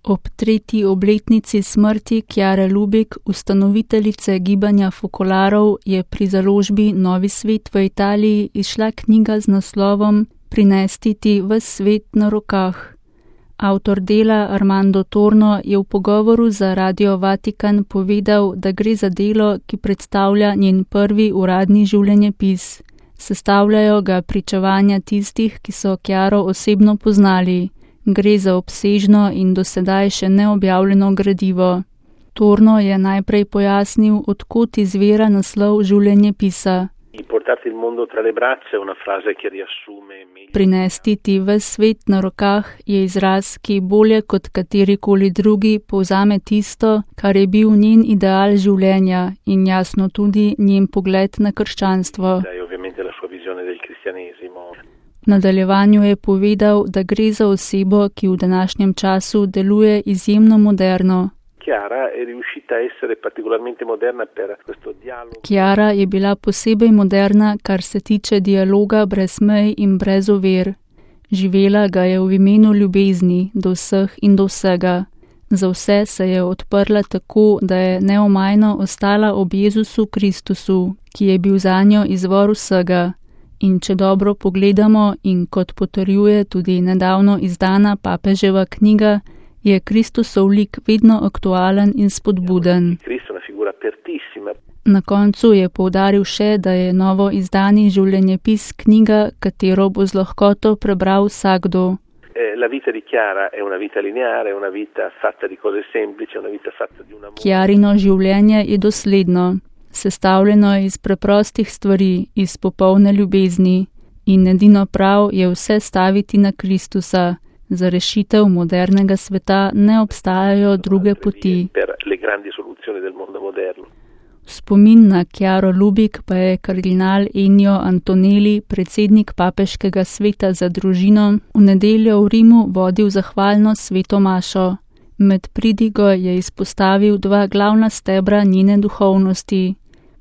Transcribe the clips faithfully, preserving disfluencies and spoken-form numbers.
Ob tretji obletnici smrti Chiare Lubich, ustanoviteljice gibanja fokolarov, je pri založbi Novi svet v Italiji izšla knjiga z naslovom Prinesti ti ves svet na rokah. Avtor dela Armando Torno je v pogovoru za Radio Vatikan povedal, da gre za delo, ki predstavlja njen prvi uradni življenjepis. Sestavljajo ga pričevanja tistih, ki so Chiaro osebno poznali. Gre za obsežno in do sedaj še neobjavljeno gradivo. Torno je najprej pojasnil, odkot izvira naslov življenjepisa. Prinesti ti ves svet na rokah je izraz, ki bolje kot katerikoli drugi povzame tisto, kar je bil njen ideal življenja in jasno tudi njen pogled na krščanstvo. V nadaljevanju je povedal, da gre za osebo, ki v današnjem času deluje izjemno moderno. Chiara je bila posebej moderna, kar se tiče dialoga brez mej in brez ovir. Živela ga je v imenu ljubezni do vseh in do vsega. Za vse se je odprla tako, da je neomajno ostala ob Jezusu Kristusu, ki je bil zanjo izvor vsega. In če dobro pogledamo in kot potrjuje tudi nedavno izdana papeževa knjiga, je Kristusov lik vedno aktualen in spodbuden. Na koncu je poudaril še, da je novo izdani življenjepis knjiga, katero bo z lahkoto prebral vsakdo. Chiarino življenje je dosledno. Sestavljeno je iz preprostih stvari, iz popolne ljubezni in edino prav je vse staviti na Kristusa. Za rešitev modernega sveta ne obstajajo druge poti. V spomin na Chiaro Lubich pa je kardinal Ennio Antonelli, predsednik papeškega sveta za družino, v nedeljo v Rimu vodil zahvalno sveto mašo. Med pridigo je izpostavil dva glavna stebra njene duhovnosti.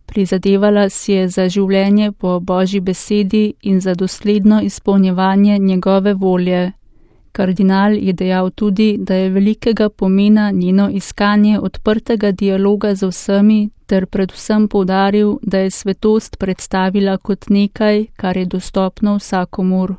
Prizadevala si je za življenje po Božji besedi in za dosledno izpolnjevanje njegove volje. Kardinal je dejal tudi, da je velikega pomena njeno iskanje odprtega dialoga z vsemi, ter predvsem poudaril, da je svetost predstavila kot nekaj, kar je dostopno vsakomur.